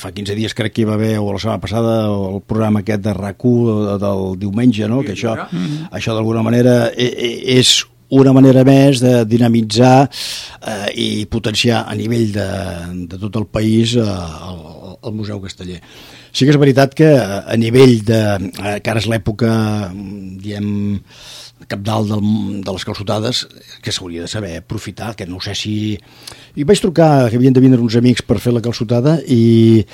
fa 15 dies crec que hi va haver, o la setmana passada, el programa aquest de RAC1 del diumenge, no? Que això d'alguna manera és una manera més de dinamitzar i potenciar a nivell de tot el país el Museu Casteller. Sí que és veritat que a nivell que ara és l'època, diem, cabdal de les calçotades, que s'hauria de saber aprofitar, que no sé si... I vaig trucar, que havien de vindre uns amics per fer la calçotada i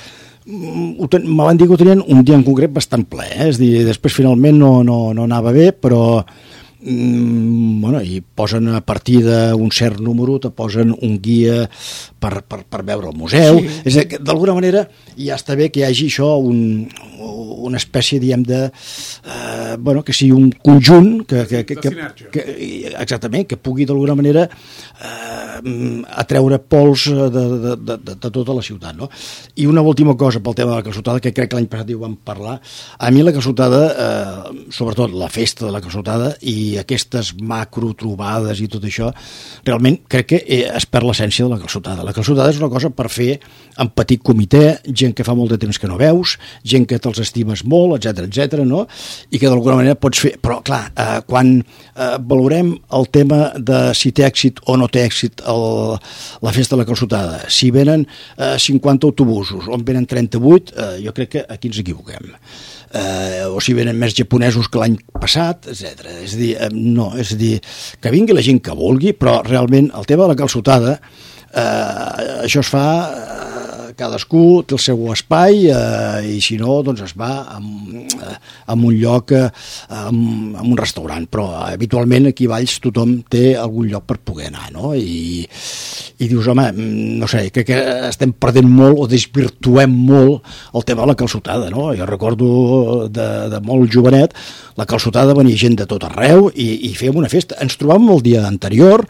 me van dir que ho tenien un dia en concret bastant ple, és a dir, després finalment no anava bé, però bueno, i posen a partir d'un cert número, te posen un guia per veure el museu. Sí. És a dir, d'alguna manera ja està bé que hi hagi això, una espècie, diguem, bueno, que sigui un conjunt exactament, que pugui d'alguna manera atreure pols de tota la ciutat, no? I una última cosa pel tema de la calçotada, que crec que l'any passat hi vam parlar. A mi la calçotada, sobretot la festa de la calçotada i aquestes macro trobades i tot això, realment crec que es perd l'essència de la calçotada. La calçotada és una cosa per fer en petit comitè, gent que fa molt de temps que no veus, gent que te'ls estimes molt, etc, no? I que d'alguna manera pots fer... Però, clar, quan valorem el tema de si té èxit o no té èxit la festa de la calçotada, si venen 50 autobusos o en venen 38, jo crec que aquí ens equivoquem. O si venen més japonesos que l'any passat, etc. És a dir, no, és a dir, que vingui la gent que vulgui, però realment el tema de la calçotada, això es fa... cadascú té el seu espai i si no, doncs es va a un lloc, a un restaurant, però habitualment aquí a Valls tothom té algun lloc per poder anar, no? I dius, home, no sé, crec que estem perdent molt o desvirtuem molt el tema de la calçotada, no? Jo recordo de molt jovenet, la calçotada venia gent de tot arreu i fèiem una festa. Ens trobàvem el dia anterior,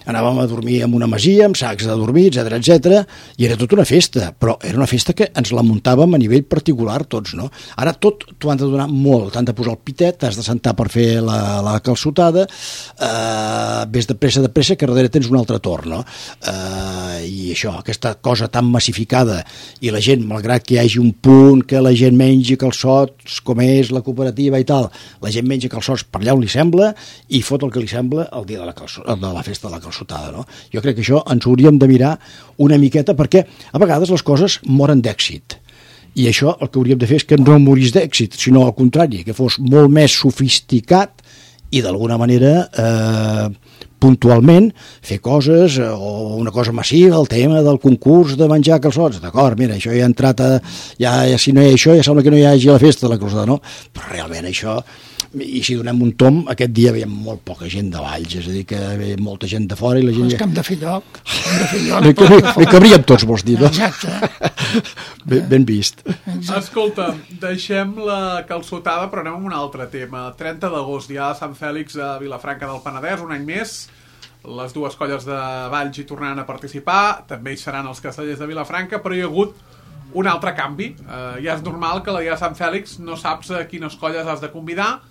anàvem a dormir en una masia, amb sacs de dormir, etc, i era tota una festa, però era una festa que ens la muntàvem a nivell particular tots, no? Ara tot t'ho han de donar molt, t'han de posar el pitet, t'has de sentar per fer la calçotada, ves de pressa, que darrere tens un altre torn, no? I això, aquesta cosa tan massificada, i la gent, malgrat que hi hagi un punt que la gent mengi calçots, com és la cooperativa i tal, la gent menja calçots per allà on li sembla, i fot el que li sembla el dia de la festa de la calçotada. No? Jo crec que això ens hauríem de mirar una miqueta, perquè a vegades les coses moren d'èxit i això el que hauríem de fer és que no morís d'èxit, sinó al contrari, que fos molt més sofisticat i d'alguna manera puntualment fer coses o una cosa massiva, el tema del concurs de menjar calçots, d'acord, mira, això ja ha entrat ja si no hi ha això ja sembla que no hi hagi la festa de la calçotada, no? Però realment això, i si donem un tom, aquest dia veiem molt poca gent de Valls, és a dir, que ve molta gent de fora i la gent... És que hem de fer lloc. Li cabríem tots, vols dir, no? Exacte. Ben vist. Escolta, deixem la calçotada, però anem a un altre tema. 30 d'agost, ja a Sant Fèlix a Vilafranca del Penedès, un any més. Les dues colles de Valls hi tornaran a participar, també hi seran els castellers de Vilafranca, però hi ha hagut un altre canvi. Ja és normal que la dia de Sant Fèlix no saps a quines colles has de convidar,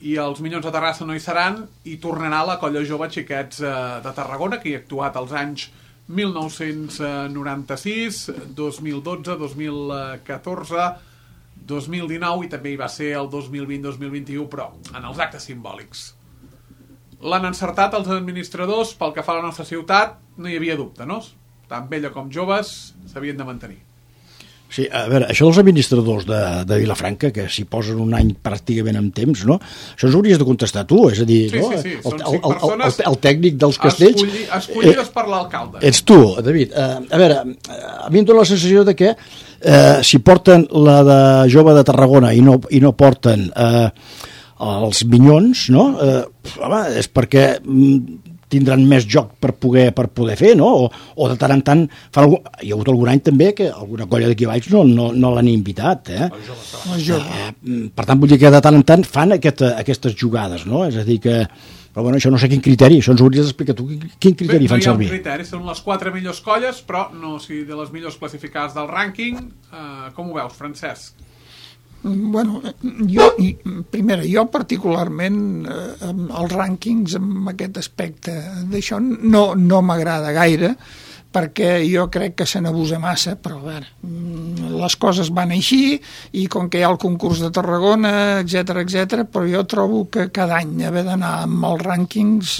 i els Minyons de Terrassa no hi seran, i tornarà la colla jove Xiquets de Tarragona, que hi ha actuat als anys 1996, 2012, 2014, 2019 i també hi va ser el 2020-2021, però en els actes simbòlics. L'han encertat els administradors, pel que fa a la nostra ciutat, no hi havia dubte, no? Tant vella com joves s'havien de mantenir. Sí, a veure, això dels administradors de Vilafranca, que s'hi posen un any pràcticament en temps, no? Això ens hauries de contestar tu, és a dir, sí, no? Sí, són 5 persones el tècnic dels castells... Escollides per l'alcalde. Ets tu, David. A veure, a mi em dóna la sensació de que si porten la de jove de Tarragona i no porten els Minyons, no? Home, és perquè... tindran més joc per poder fer, no? O de tant en tant hi ha hagut algun any també que alguna colla d'aquí baix no l'han invitat, per tant vull dir que de tant en tant fan aquestes jugades, no? És a dir que, però bueno, això no sé quin criteri, això ens hauries d'explicar tu quin criteri fan servir. No hi ha un criteri, són les 4 millors colles, però no, si de les millors classificades del rànquing, com ho veus, Francesc? Bueno, jo particularment els rànquings en aquest aspecte d'això no m'agrada gaire, perquè jo crec que se n'abusa massa, però a veure, les coses van així, i com que hi ha el concurs de Tarragona, etc, però jo trobo que cada any haver d'anar amb els rànquings,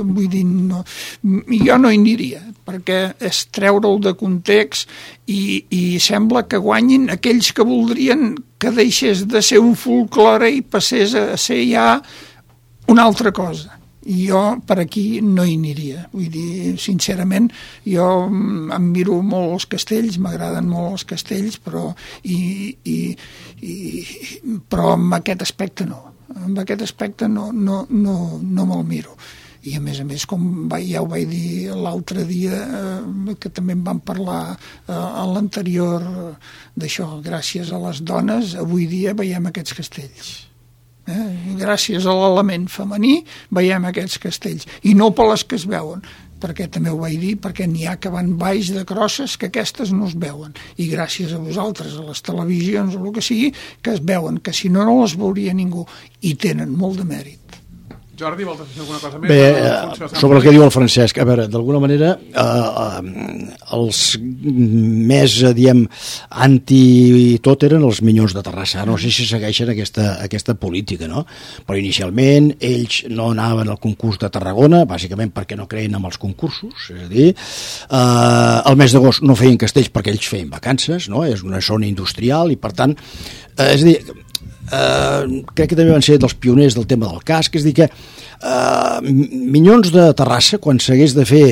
vull dir, no, jo no hi aniria, perquè és treure-ho de context i sembla que guanyin aquells que voldrien que deixés de ser un folklore i passés a ser ja una altra cosa. I jo per aquí no hi aniria. Vull dir, sincerament, jo em miro molt els castells, m'agraden molt els castells, però amb aquest aspecte no. Amb aquest aspecte no me'l miro. I a més, com ja ho vaig dir l'altre dia, que també en vam parlar a l'anterior d'això, gràcies a les dones, avui dia veiem aquests castells. Gràcies a l'element femení veiem aquests castells, i no per les que es veuen, perquè també ho vaig dir, perquè n'hi ha que van baix de crosses que aquestes no es veuen, i gràcies a vosaltres, a les televisions o el que sigui, que es veuen, que si no, no les veuria ningú, i tenen molt de mèrit. Jordi, vols dir alguna cosa més? Bé, sobre el que diu el Francesc, a veure, d'alguna manera els més, diem, anti-tot eren els Minyons de Terrassa. No sé si segueixen aquesta política, no? Però inicialment ells no anaven al concurs de Tarragona, bàsicament perquè no creien en els concursos, és a dir, al mes d'agost no feien castells perquè ells feien vacances, no? És una zona industrial i, per tant, és a dir, crec que també van ser dels pioners del tema del casc, és a dir que Minyons de Terrassa, quan s'hagués de fer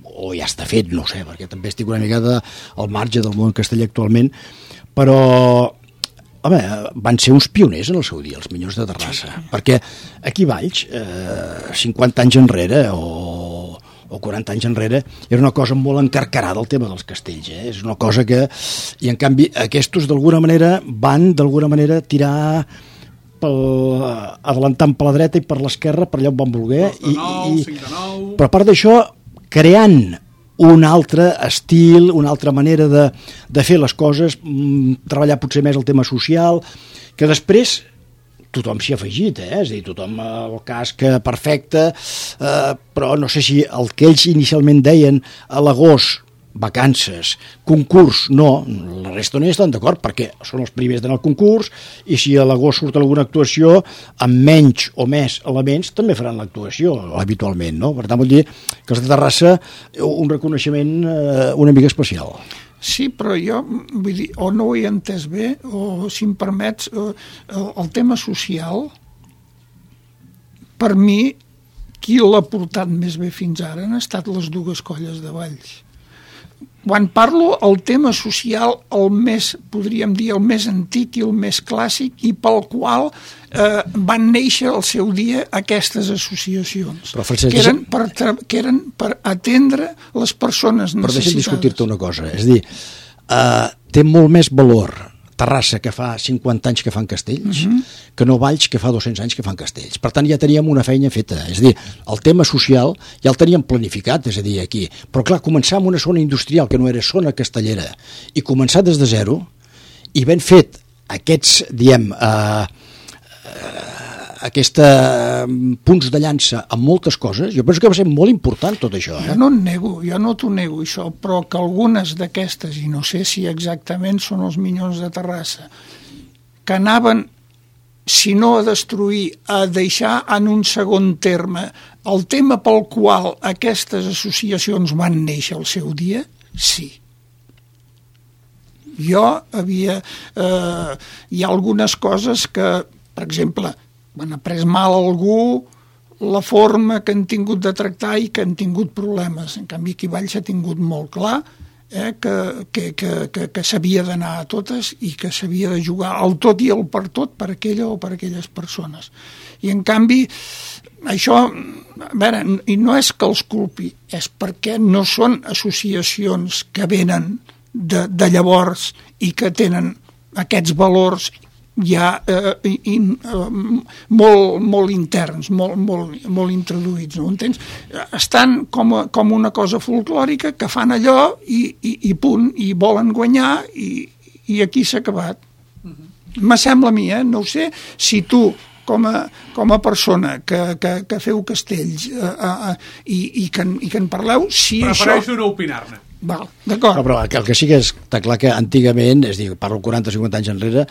o ja està fet, no sé, perquè també estic una mica al marge del món casteller actualment, però home, van ser uns pioners en el seu dia, els Minyons de Terrassa, perquè aquí a Valls 50 anys enrere o 40 anys enrere, era una cosa molt encarcarada el tema dels castells, és una cosa que, i en canvi aquests d'alguna manera van tirar adelantant per la dreta i per l'esquerra per allà on van voler, però a part d'això creant un altre estil, una altra manera de fer les coses, treballar potser més el tema social, que després tothom s'hi ha afegit, és a dir, tothom el casc perfecte, però no sé si el que ells inicialment deien a l'agost, vacances, concurs, no, la resta no hi estan d'acord, perquè són els primers d'anar al concurs, i si a l'agost surt alguna actuació, amb menys o més elements, també faran l'actuació, habitualment, no? Per tant, vull dir que els de Terrassa, un reconeixement una mica especial. Sí, però jo, vull dir, o no ho he entès bé, o, si em permets, el tema social, per mi, qui l'ha portat més bé fins ara han estat les dues colles de Valls. Quan parlo el tema social, el més, podríem dir, el més antic i el més clàssic, i pel qual van néixer al seu dia aquestes associacions, que eren per atendre les persones necessitades. Però deixa'm discutir-te una cosa, és a dir, té molt més valor Terrassa, que fa 50 anys que fan castells, que no Valls, que fa 200 anys que fan castells. Per tant, ja teníem una feina feta. És a dir, el tema social ja el teníem planificat, és a dir, aquí. Però clar, començar amb una zona industrial que no era zona castellera i començar des de zero i ben fet aquests, diem, punts de llança amb moltes coses, jo penso que va ser molt important tot això. Jo no t'ho nego això, però que algunes d'aquestes, i no sé si exactament són els Minyons de Terrassa, que anaven, si no a destruir, a deixar en un segon terme el tema pel qual aquestes associacions van néixer al seu dia, sí. Hi ha algunes coses que, per exemple, han après mal a algú la forma que han tingut de tractar i que han tingut problemes. En canvi, aquí Valls ha tingut molt clar que s'havia d'anar a totes i que s'havia de jugar el tot i el per tot per aquella o per aquelles persones. I en canvi, això, a veure, i no és que els culpi, és perquè no són associacions que venen de llavors i que tenen aquests valors ja molt interns, molt introduïts, no entens? Estan com una cosa folclòrica que fan allò i punt, i volen guanyar i aquí s'ha acabat. Me sembla a mi, no ho sé, si tu a persona que feu castells i que en parleu, si prefereixo no opinar-ne. Val, d'acord. Però el que sí que està clar que antigament, és a dir, parlo 40-50 anys enrere,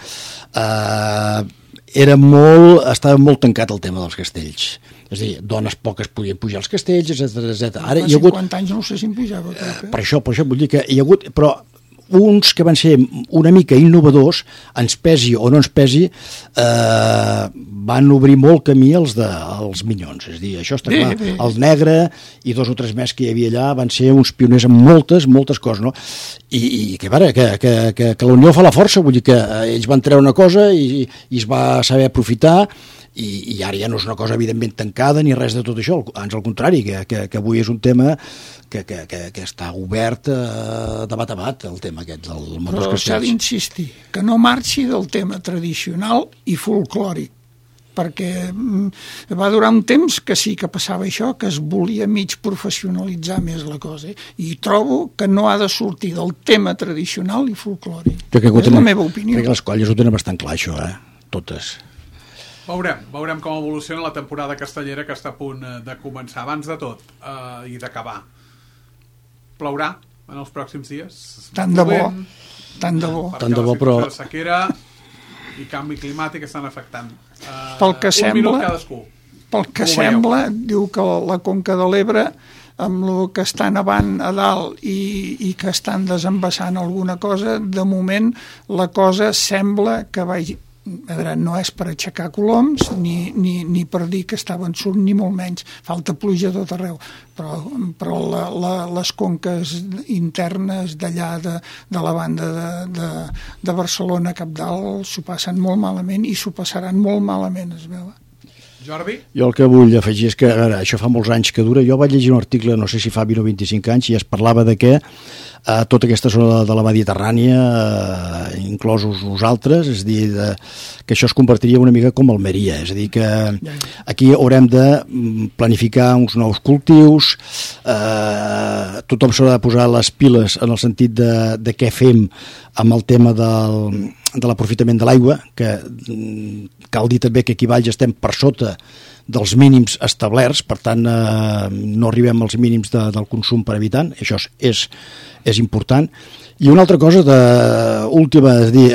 estava molt tancat el tema dels castells. És a dir, dones poques podien pujar als castells, etc. Ara hi ha hagut 50 anys no sé si em pujava. Per això vull dir que hi ha hagut, però uns que van ser una mica innovadors, ens pesi o no ens pesi, van obrir molt camí als minyons. És a dir, això està clar. El Negre i 2 o 3 més que hi havia allà van ser uns pioners en moltes coses, no? I que la unió fa la força, vull dir que ells van treure una cosa i es va saber aprofitar, i ara ja no és una cosa evidentment tancada ni res de tot això, ans al contrari, que avui és un tema que està obert de bat a bat, el tema aquest del món dels castells. Però s'ha d'insistir que no marxi del tema tradicional i folclòric, perquè va durar un temps que sí que passava això, que es volia mig professionalitzar més la cosa, i trobo que no ha de sortir del tema tradicional i folclòric. És la meva opinió. Crec que les colles ho tenen bastant clar, això, totes. Veurem com evoluciona la temporada castellera que està a punt de començar. Abans de tot i d'acabar, plourà en els pròxims dies? Tant de bo. Però la sequera i canvi climàtic estan afectant. Pel que un minut cadascú. Pel que sembla, diu que la Conca de l'Ebre, amb el que està nevant a dalt i que estan desembassant alguna cosa, de moment la cosa sembla que vagi... no és per aixecar coloms ni per dir que està vençut, ni molt menys, falta pluja a tot arreu, però les conques internes d'allà de la banda de Barcelona cap dalt s'ho passen molt malament i s'ho passaran molt malament, es veu. Jordi? Jo el que vull afegir és que, a veure, això fa molts anys que dura. Jo vaig llegir un article, no sé si fa 20 o 25 anys, i es parlava de que tota aquesta zona de la Mediterrània, inclosos nosaltres, és a dir, que això es convertiria una mica com Almeria, és a dir, que aquí haurem de planificar uns nous cultius, tothom s'haurà de posar les piles en el sentit de què fem amb el tema de l'aprofitament de l'aigua, que cal dir també que aquí a Valls estem per sota dels mínims establerts, per tant no arribem als mínims del consum per habitant, això és important. I una altra cosa última, és dir,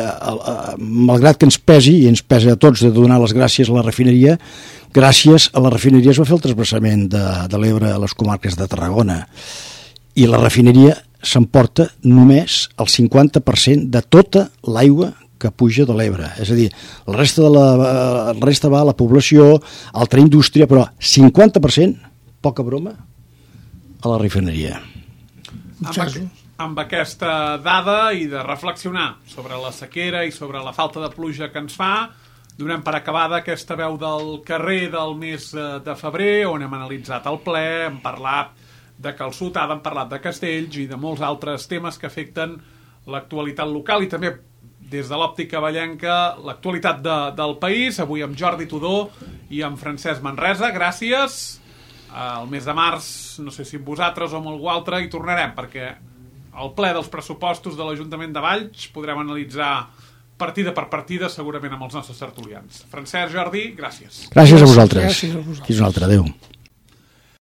malgrat que ens pesi, i ens pesa a tots de donar les gràcies a la refineria, gràcies a la refineria es va fer el transvasament de l'Ebre a les comarques de Tarragona, i la refineria s'emporta només el 50% de tota l'aigua que puja de l'Ebre. És a dir, la resta va a la població, a altra indústria, però 50%, poca broma, a la refineria. Amb aquesta dada i de reflexionar sobre la sequera i sobre la falta de pluja que ens fa, donem per acabada aquesta veu del carrer del mes de febrer, on hem analitzat el ple, hem parlat de calçotada, hem parlat de castells i de molts altres temes que afecten l'actualitat local i també des de l'òptica vallenca l'actualitat del país. Avui amb Jordi Tudó i amb Francesc Manresa. Gràcies. El mes de març, no sé si amb vosaltres o amb algú altre, hi tornarem, perquè al ple dels pressupostos de l'Ajuntament de Valls podrem analitzar partida per partida, segurament amb els nostres tertulians. Francesc, Jordi, gràcies. Gràcies a vosaltres. Fins una altra. Adéu.